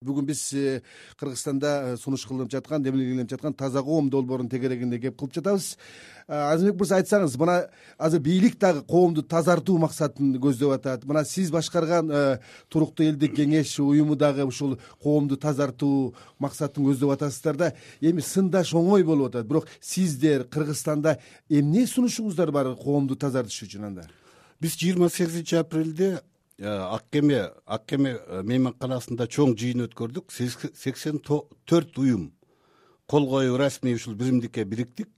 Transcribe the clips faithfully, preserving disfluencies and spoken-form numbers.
Бүгүн биз Кыргызстанда сунуш кылынып жаткан, демилгеленип жаткан таза коом долбоорунун тегерегинде кеп кылып жатабыз. Азимбек мырза, айтсаңыз, мына азыр бийлик дагы коомду тазартуу максатын көздөп атат. Мына сиз башкарган туруктуу элдик кеңеш уюму дагы ушул коомду тазартуу максатын көздөп атасыздар да. Эми сындаш оңой болуп атат. Бирок сиздер Кыргызстанда эмне сунушуңуздар бар коомду тазартыш үчүн анда? Биз жыйырма сегизинчи апрелде ак кеме ак кеме мейманканасында чоң жыйын өткөрдүк. сексен төрт уюм кол коюп расмий ушул биримдикке бириктик.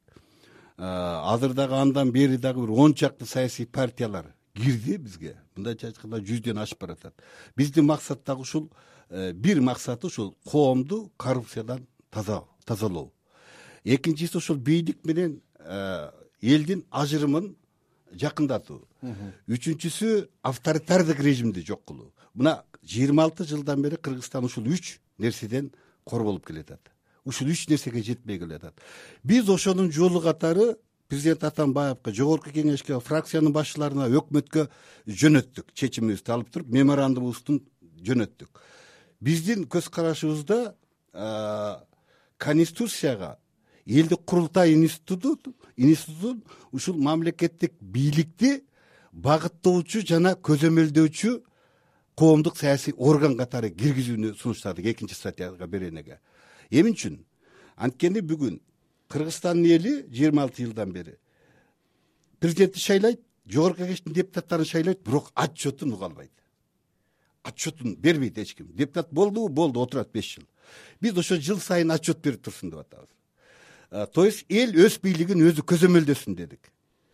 Азыр дагы андан бери дагы бир он чакты саясий партиялар кирди бизге. Мындайча айтканда жүздөн ашып баратат. Биздин максат дагы ушул, бир максаты ушул коомду коррупциядан тазалоо. Экинчиси ушул бийлик менен элдин ажырымын жакындатуу. Үчүнчүсү авторитардык режимди жок кылуу. Мына жыйырма алты жылдан бери Кыргызстан ушул үч нерседен кор болуп келатат. Ушул үч нерсеге жетпей келатат. Биз ошонун жолу катары президент Атамбаевка, жогорку кеңешке, фракциянын башчыларына, өкмөткө жөнөттүк. Чечимибизди алып туруп, меморандумубузду жөнөттүк. Биздин көз карашыбызда конституцияга элдик курултай институту институтун ушул мамлекеттик бийликти багыттоочу жана көзөмөлдөөчү коомдук саясий орган катары киргизүүнү сунуштадык экинчи статьяга беренеге. Эмне үчүн? Анткени бүгүн Кыргызстандын эли жыйырма алты жылдан бери президентти шайлайт, жогорку кеңештин депутаттарын шайлайт, бирок отчетун уга албайт. Отчетун бербейт эч ким. Депутат болдубу? Болду, отурат беш жыл. Биз ошо жыл сайын отчет берип турсун деп атабыз. То есть эл өз бийлигин өзү көзөмөлдөсүн дедик.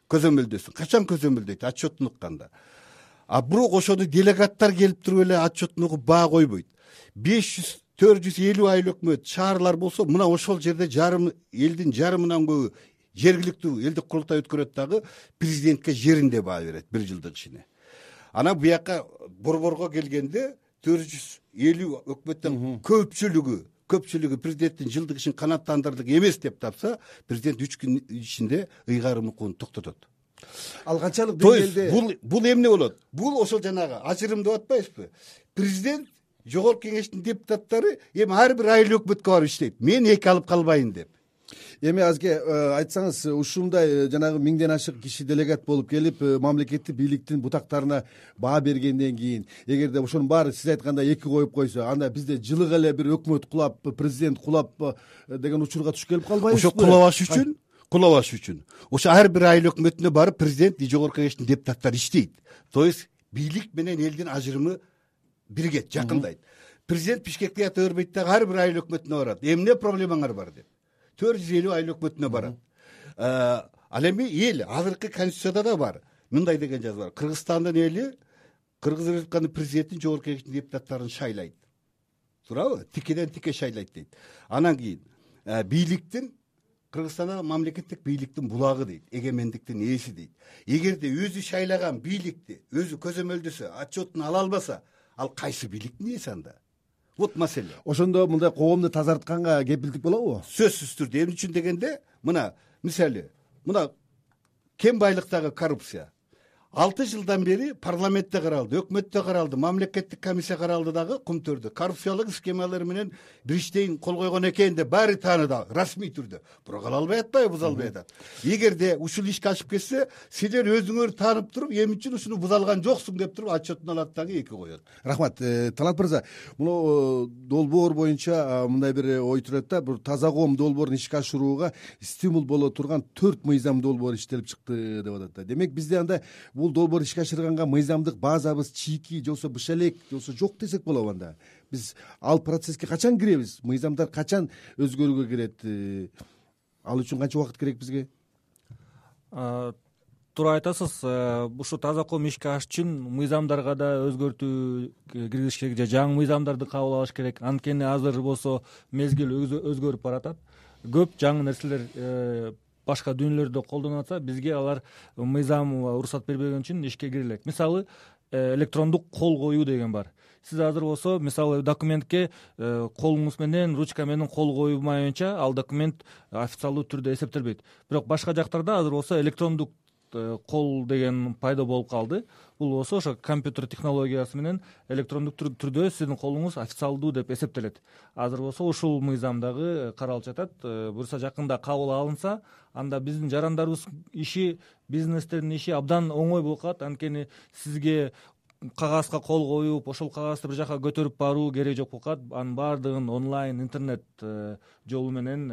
Көзөмөлдөсүн. Качан көзөмөлдөйт? Отчетун укканда. А бирок ошону делегаттар келип туруп эле отчетун угуп баа койбойт. беш жүз төрт жүз элүү айыл өкмөт, шаарлар болсо, мына ошол жерде жарым элдин жарымынан көбү жергиликтүү элдик курултай өткөрөт дагы президентке жеринде баа берет бир жылдык ичине. Анан буяка борборго келгенде төрт жүз элүү өкмөттөн көпчүлүгү көпчүлүгү президенттин жылдык ишин канааттандырдык эмес деп тапса, президент үч күн ичинде ыйгарым укугун токтотот. Ал канчалык деңгээлде? Бул бул эмне болот? Бул ошол жанагы ажырым деп атпайбызбы? Президент жогорку кеңештин депутаттары эми ар бир айыл өкмөткө барып иштейт. Мен эки алып калбайын деп. Эми азге айтсаңыз, ушундай жанагы миңден ашык киши делегат болуп келип, мамлекеттик бийликтин бутактарына баа бергенден кийин, эгерде ошонун баары сиз айткандай эки коюп койсо, анда бизде жылык эле бир өкмөт кулап, президент кулап деген учурга туш келип калбайбызбы? Ошо кулабаш үчүн, кулабаш үчүн ошо ар бир айыл өкмөтүнө барып президент, жогорку кеңештин депутаттары иштейт. То есть бийлик менен элдин ажырымы биригет, жакындайт. Президент Бишкекте ята бербейт дагы ар бир айыл өкмөтүнө барат. Эмне проблемаңар бар деп. төрт жүз элүү айыл өкмөтүнө барат. Ал эми эл азыркы конституцияда да бар. Мындай деген жазуу бар. Кыргызстандын эли Кыргыз Республикасынын президентин, жогорку кеңештин депутаттарын шайлайт. Туурабы? Тикеден тике шайлайт дейт. Анан кийин бийликтин Кыргызстанда мамлекеттик бийликтин булагы дейт, эгемендиктин ээси дейт. Эгерде өзү шайлаган бийликти өзү көзөмөлдөсө, отчетун ала албаса, ал кайсы бийликтин ээси анда? Вот маселе. Ошондо мындай коомду тазартканга кепилдик болобу? Сөзсүз түрдө. Эмне үчүн дегенде, мына мисалы, мына кен байлыктагы коррупция алты жылдан бери парламентте каралды, өкмөттө каралды, мамлекеттик комиссия каралды дагы кумтөрдө. Коррупциялык схемалар менен Бриштейн кол койгон экен деп баары тааныда, расмий түрдө. Бирок ала албай атпайбы, буза албай атат. Эгерде ушул ишке ашып кетсе, силер өзүңөр таанып туруп, эмне үчүн ушуну буза алган жоксуң деп туруп отчетун алат дагы эки коет. Рахмат. Талант мырза, муну долбоор боюнча мындай бир ой турат да, бир таза коом долбоорун ишке ашырууга стимул боло турган төрт мыйзам долбоор иштелип чыкты деп атат да. Демек бизде анда бул долбоор ишке ашырганга мыйзамдык базабыз чийки, жолсо быш элек, жолсо жок десек болобу анда? Биз ал процесске качан киребиз? Мыйзамдар качан өзгөрүүгө кирет? Ал үчүн канча убакыт керек бизге? Туура айтасыз. Ушу таза коом ишке ашыш үчүн мыйзамдарга да өзгөртүү киргизиш керек, же жаңы мыйзамдарды кабыл алыш керек. Анткени азыр болсо мезгил өзгөрүп баратат. Көп жаңы нерселер башка дүйнөлөрдө колдонуп атса, бизге алар мыйзам уруксат бербеген үчүн ишке кире элек. Мисалы, электрондук кол коюу деген бар. Сиз азыр болсо, мисалы, документке колуңуз менен, ручка менен кол коюлмайынча ал документ официалдуу түрдө эсептелбейт. Бирок башка жактарда азыр болсо электрондук кол деген пайда болуп калды. Бул болсо ошо компьютер технологиясы менен электрондук түрдө сиздин колуңуз официалдуу деп эсептелет. Азыр болсо ушул мыйзам дагы каралып жатат. Буюрса жакында кабыл алынса, анда биздин жарандарыбыз иши, бизнестердин иши абдан оңой болуп калат. Анткени сизге кагазга кол коюп, ошол кагазды бир жака көтөрүп баруу кереги жок болуп калат. Анын баардыгын онлайн интернет жолу менен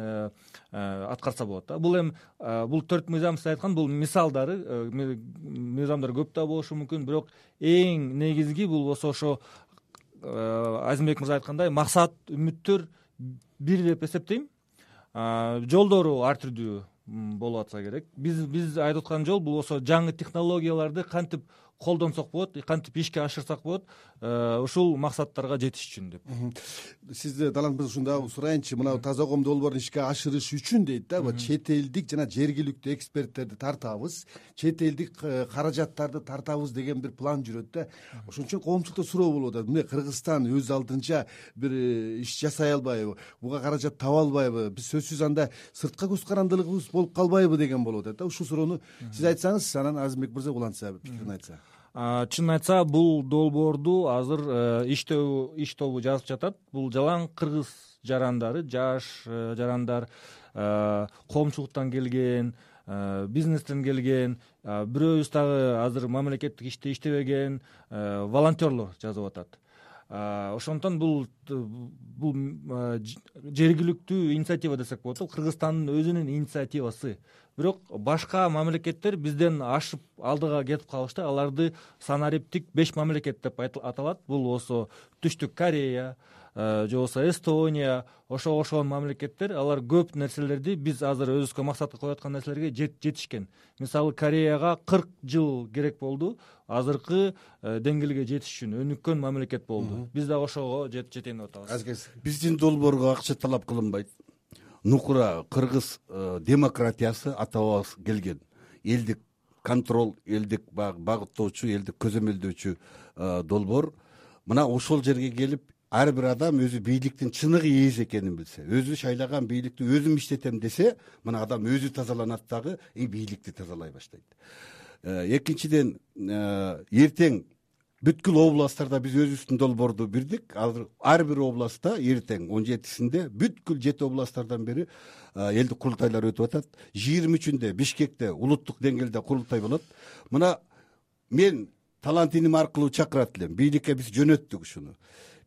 аткарса болот да. Бул эми бул төрт мыйзам сиз айткан бул мисалдары, мыйзамдар көп да болушу мүмкүн, бирок эң негизги бул болсо ошо Азимбек мырза айткандай максат, үмүттөр бир деп эсептейм. Жолдору ар түрдүү болуп атса керек. Биз биз айтып аткан жол бул болсо жаңы технологияларды кантип колдонсок болот, кантип ишке ашырсак болот, ушул максаттарга жетиш үчүн деп. Сизде Талант мырза ушунда сурайынчы, мына таза коом долбоорун ишке ашырыш үчүн дейт да, чет элдик жана жергиликтүү эксперттерди тартабыз, чет элдик каражаттарды тартабыз деген бир план жүрөт да. Ошон үчүн коомчулукта суроо болуп атат. Мына Кыргызстан өз алдынча бир иш жасай албайбы, буга каражат таба албайбы, биз сөзсүз анда сыртка көз карандылыгыбыз болуп калбайбы деген болуп атат да. Ушул суроону сиз айтсаңыз, анан Азимбек мырза улантса пикирин айтса. Чынын айтса, бул долбоорду азыр иштөө иш тобу жазып жатат. Бул жалаң кыргыз жарандары, жаш жарандар, коомчулуктан келген, бизнестен келген, бирөөбүз дагы азыр мамлекеттик иште иштебеген волонтерлор жазып атат. Ошондон бул бул жергиликтүү инициатива десек болот. Кыргызстандын өзүнүн инициативасы. Бирок башка мамлекеттер бизден ашып алдыга кетип калышты. Аларды санариптик беш мамлекет деп аталат. Бул болсо Түштүк Корея, же болбосо Эстония, ошо ошон мамлекеттер, алар көп нерселерди биз азыр өзүбүзгө максатка коюп аткан нерселерге жетишкен. Мисалы Кореяга кырк жыл керек болду азыркы деңгээлге жетиш үчүн, өнүккөн мамлекет болду. Биз дагы ошого жетейин деп атабыз. Биздин долбоорго акча талап кылынбайт. Нукура кыргыз демократиясы ата-бабабыз келген. Элдик контроль, элдик багыттоочу, элдик көзөмөлдөөчү долбоор. Мына ошол жерге келип, ар бир адам өзү бийликтин чыныгы ээси экенин билсе, өзү шайлаган бийликти өзүм иштетем десе, мына адам өзү тазаланат дагы, и бийликти тазалай баштайт. Экинчиден, эртең бүткүл областтарда биз өзүбүздүн долбоорду бирдик. Азыр ар бир областта эртең он жетисинде бүткүл жети областтардан бери элдик курултайлар өтүп атат. жыйырма үчүндө Бишкекте улуттук деңгээлде курултай болот. Мына мен Талант иним аркылуу чакырат элем. Бийликке биз жөнөттүк ушуну.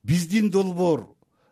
Биздин долбоор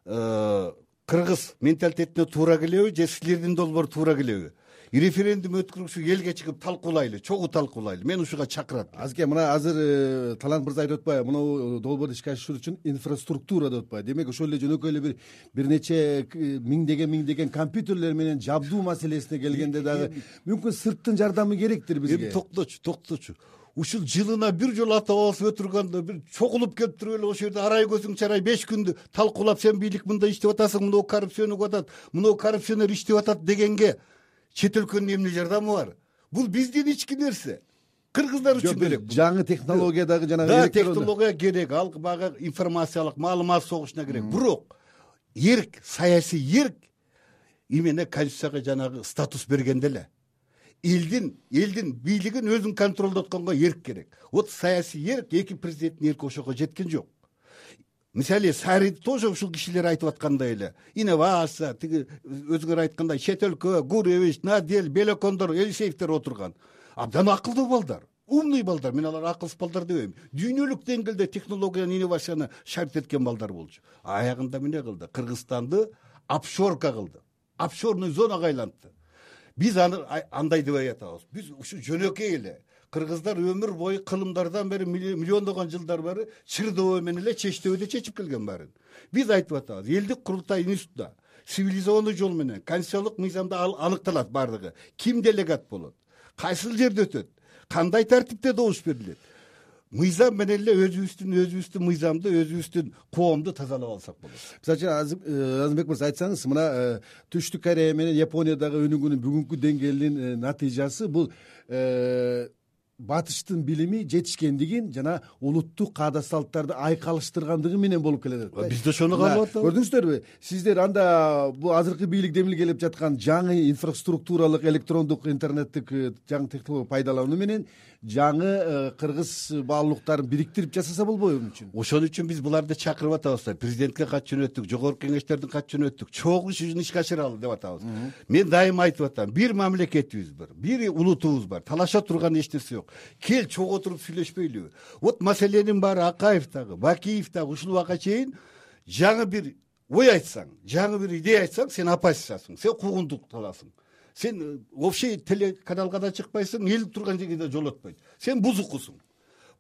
кыргыз менталитетине туура келеби, же силердин долбоор туура келеби? Референдум өткөрүп элге чыгып талкуулайлы, чогуу талкуулайлы. Мен ушуга чакырат. Азырке мына азыр Талант мырза айтып атпайбы, мына долбоорду ишке ашыруу үчүн инфраструктура деп атпайбы. Демек ошол эле жөнөкөй эле бир бир нече миңдеген миңдеген компьютерлер менен жабдуу маселесине келгенде дагы мүмкүн сырттын жардамы керектир бизге. Эми токточу, токточу. Ушул жылына бир жолу ата-бабабыз өтүргөндө бир чогулуп келип туруп эле ошол жерде арай көзүң чарай беш күндү талкуулап, сен бийлик мындай иштеп атасың, мынау коррупцияны атат, мынау коррупционер иштеп атат дегенге чет өлкөнүн эмне жардамы бар? Бул биздин ички нерсе. Кыргыздар үчүн керек. Жаңы технология дагы жана да технология керек, ал бага информациялык маалымат согушуна керек. Бирок эрк, саясий эрк именно конституцияга жанагы статус бергенде эле элдин элдин бийлигин өзүң контролдотконго эрк керек. Вот саясий эрк, эки президенттин эрки ошого жеткен жок. Мисалы Сарид тоже ушул кишилер айтып аткандай эле. Инновация, тиги өзүңөр айткандай чет өлкө, Гуревич, Надел, Белекондор, Элисеевдер отурган. Абдан акылдуу балдар, умный балдар. Мен алар акылсыз балдар дебейм. Дүйнөлүк деңгээлде технологияны, инновацияны шарт эткен балдар болчу. Аягында эмне кылды? Кыргызстанды офшорка кылды. Офшорный зонага айлантты. Биз аны андай деп атабыз. Биз ушу жөнөкөй эле. Кыргыздар өмүр бою кылымдардан бери, миллиондогон жылдар бери Чырдоо менен эле Чечтөбөдө чечип келген баарын. Биз айтып атабыз, элдик курултай институтта цивилизованный жол менен конституциялык мыйзамда аныкталат бардыгы. Ким делегат болот? Кайсыл жерде өтөт? Кандай тартипте добуш берилет? Мыйзам менен эле өзүбүздүн өзүбүздүн мыйзамды, өзүбүздүн коомду тазалап алсак болот. Мисалы Азимбек мырза айтсаңыз, мына Түштүк Корея менен Япониядагы өнүгүүнүн бүгүнкү деңгээлинин натыйжасы бул батыштын билими жетишкендигин жана улуттук каада салттарды айкалыштыргандыгы менен болуп келатат да. Биз да ошону каалап атабыз. Көрдүңүздөрбү сиздер анда бул азыркы бийлик демилге келип жаткан жаңы инфраструктуралык электрондук интернеттик жаңы технология пайдалануу менен жаңы кыргыз баалуулуктарын бириктирип жасаса болбойбу эмне үчүн? Ошон үчүн биз буларды чакырып атабыз да. Президентке кат жөнөттүк, жогорку кеңештердин кат жөнөттүк, чогуу ишин ишке ашыралы деп атабыз. Мен дайыма айтып атам, бир мамлекетибиз бар, бир улутубуз бар, талаша турган эч нерсе жок. Кел чогуу отуруп сүйлөшпөйлүбү? Вот маселенин баары Акаев дагы, Бакиев дагы ушул убакка чейин жаңы бир ой айтсаң, жаңы бир идея айтсаң, сен оппозициячысың, сен куугунтукталасың. Сен вообще телеканалга да чыкпайсың, эл турган жерге да жолотпойт. Сен бузукусуң.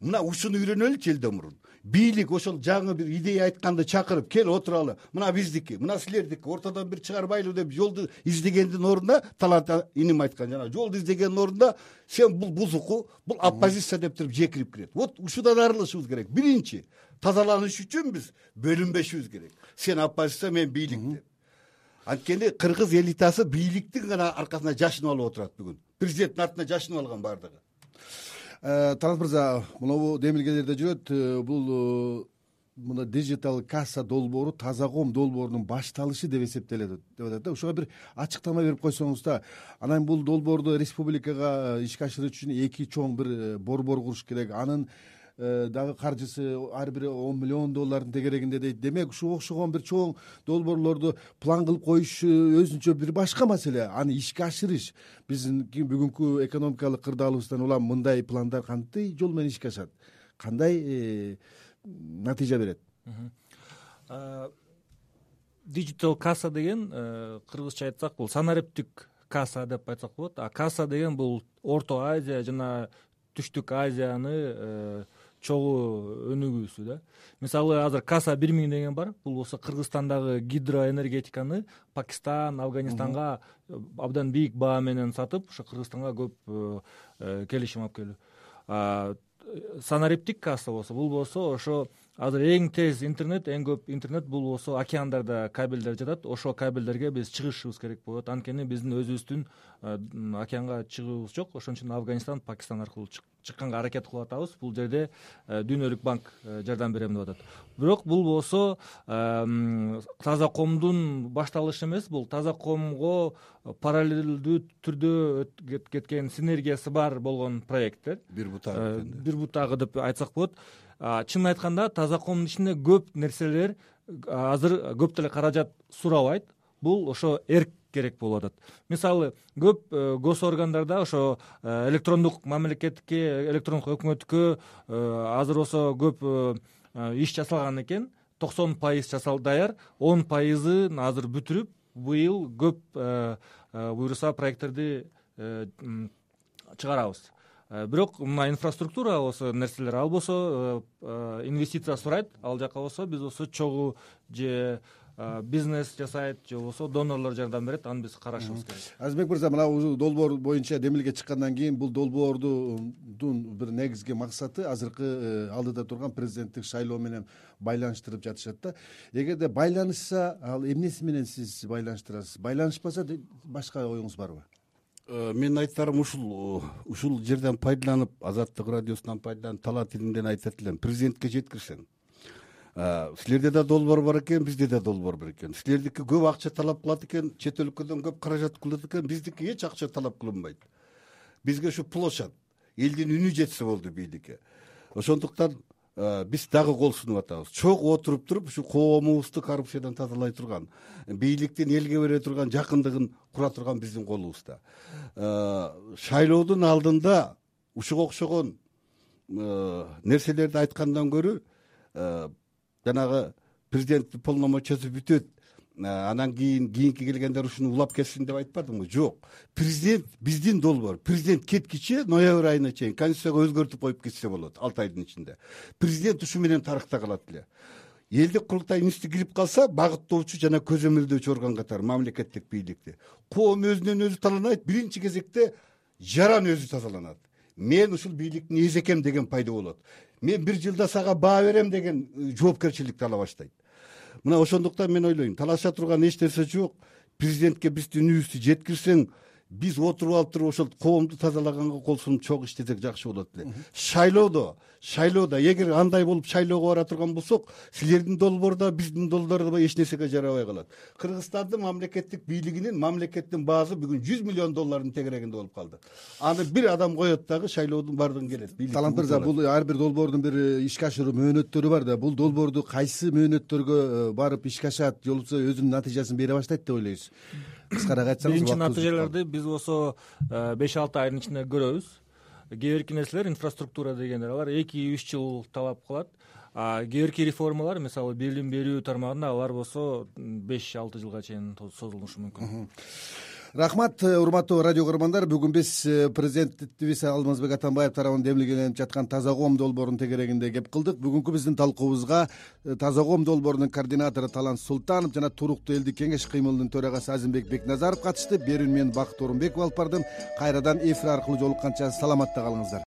Мына ушуну үйрөнөлүчү элден мурун. Бийлик ошол жаңы бир идея айтканды чакырып, кел отуралы. Мына биздики, мына силердики, ортодон бир чыгарбайлы деп жолду издегендин ордуна, Талант иним айткан жана жолду издегендин ордуна сен бул бузуку, бул оппозиция деп туруп жекирип кирет. Вот ушудан арылышыбыз керек. Биринчи, тазаланыш үчүн биз бөлүнбөшүбүз керек. Сен оппозиция, мен бийлик деп. Анткени кыргыз элитасы бийликтин гана аркасына жашынып алып отурат бүгүн. Президенттин артына жашынып алган бардыгы. Талант мырза, могу демилгелерде жүрөт. Бул мына дижитал касса долбоору таза коом долбоорунун башталышы деп эсептелет деп атат да. Ушуга бир ачыктама берип койсоңуз да. Анан бул долбоорду республикага ишке ашыруу үчүн эки чоң бир борбор куруш керек. Анын дагы каржысы ар бири он миллион доллардын тегерегинде дейт. Демек ушуга окшогон бир чоң долбоорлорду план кылып коюш өзүнчө бир башка маселе. Аны ишке ашырыш биздин бүгүнкү экономикалык кырдаалыбыздан улам мындай пландар кантип жол менен ишке ашат, кандай натыйжа берет? Digital касса деген кыргызча айтсак бул санариптик касса деп айтсак болот. А касса деген бул Орто Азия жана Түштүк Азияны чогуу өнүгүүсү да. Мисалы азыр касса бир миң деген бар. Бул болсо Кыргызстандагы гидроэнергетиканы Пакистан, Афганистанга абдан бийик баа менен сатып, ошо Кыргызстанга көп келишим алып келүү. Санариптик касса болсо, бул болсо ошо азыр эң тез интернет, эң көп интернет бул болсо океандарда кабелдер жатат. Ошол кабелдерге биз чыгышыбыз керек болот. Анткени биздин өзүбүздүн океанга чыгуубуз жок. Ошон үчүн Афганистан, Пакистан аркылуу чыкканга аракет кылып атабыз. Бул жерде Дүйнөлүк банк жардам берем деп атат. Бирок бул болсо таза коомдун башталышы эмес, бул таза коомго параллелдүү түрдө кеткен синергиясы бар болгон проекттер. Бир бутагы бир бутагы деп айтсак болот. Чынын айтканда таза коомдун ичинде көп нерселер азыр көп деле каражат сурабайт. Бул ошо эрк керек болуп атат. Мисалы, көп гос органдарда ошо электрондук мамлекетке, электрондук өкмөткө азыр болсо көп иш жасалган экен. токсон пайыз жасал даяр, он пайызын азыр бүтүрүп, быйыл көп буюрса проекттерди чыгарабыз. Бирок мына инфраструктура болсо нерселер, ал болсо инвестиция сурайт, ал жака болсо биз болсо чогуу же бизнес жасайт, же болбосо донорлор жардам берет, аны биз карашыбыз керек. Азизбек мырза, мына долбоор боюнча демилге чыккандан кийин бул долбоордун бир негизги максаты азыркы алдыда турган президенттик шайлоо менен байланыштырып жатышат да. Эгерде байланышса, ал эмнеси менен сиз байланыштырасыз? Байланышпаса башка оюңуз барбы? Мен айтарым ушул ушул жерден пайдаланып, Азаттык радиосунан пайдаланып, Талант илимден айтат элем, президентке жеткирсең. Силерде да долбоор бар экен, бизде да долбоор бар экен. Силердики көп акча талап кылат экен, чет өлкөдөн көп каражат кылат экен, биздики эч акча талап кылынбайт. Бизге ушу площадь, элдин үнү жетсе болду бийликке. Ошондуктан биз дагы кол сунуп атабыз. Чогуу отуруп туруп, ушу коомубузду коррупциядан тазалай турган, бийликтин элге бере турган жакындыгын кура турган биздин колубузда. Шайлоодун алдында ушуга окшогон нерселерди айткандан көрө жанагы президенттин полномочиясы бүтөт, анан кийин кийинки келгендер ушуну улап кетсин деп айтпадымбы? Жок. Президент биздин долбоор. Президент кеткиче ноябрь айына чейин конституцияга өзгөртүп коюп кетсе болот алты айдын ичинде. Президент ушу менен тарыхта калат эле. Элдик курултай институты кирип калса, багыттоочу жана көзөмөлдөөчү орган катары мамлекеттик бийликти. Коом өзүнөн өзү таланайт, биринчи кезекте жаран өзү тазаланат. Мен ушул бийликтин эзекем деген пайда болот. Мен бир жылда сага баа берем деген жоопкерчиликти ала баштайт. Мына ошондуктан мен ойлойм, талаша турган эч нерсе жок. Президентке биздин үнүбүздү жеткирсең, биз отуруп алып туруп ошол коомду тазалаганга кол сунуп чогуу иштесек жакшы болот эле. Шайлоодо шайлоодо эгер андай болуп шайлоого бара турган болсок, силердин долбоор да биздин долбоор да эч нерсеге жарабай калат. Кыргызстандын мамлекеттик бийлигинин мамлекеттин баасы бүгүн жүз миллион доллардын тегерегинде болуп калды. Аны бир адам коет дагы шайлоодун бардыгын келет. Талант мырза, бул ар бир долбоордун бир ишке ашыруу мөөнөттөрү бар да. Бул долбоорду кайсы мөөнөттөргө барып ишке ашат, же болбосо өзүнүн натыйжасын бере баштайт деп ойлойсуз? Кыскараак айтсаңыз. Биринчи натыйжаларды биз болсо беш алты айдын ичинде көрөбүз. Кээ бирки нерселер инфраструктура дегендер алар эки үч жыл талап кылат. А кээ бирки реформалар, мисалы билим берүү тармагында, алар болсо беш алты жылга чейин созулушу мүмкүн. Рахмат, урматтуу радио көрөрмандар. Бүгүн биз президентибиз Алмазбек Атамбаев тарабынан демилгеленип жаткан таза коом долбоорунун тегерегинде кеп кылдык. Бүгүнкү биздин талкуубузга таза коом долбоорунун координатору Талант Султанов жана туруктуу элдик кеңеш кыймылынын төрагасы Азимбек Бекназаров катышты. Берүүнү мен Бакыт Орунбеков алып бардым. Кайрадан эфир аркылуу жолукканча саламатта калыңыздар.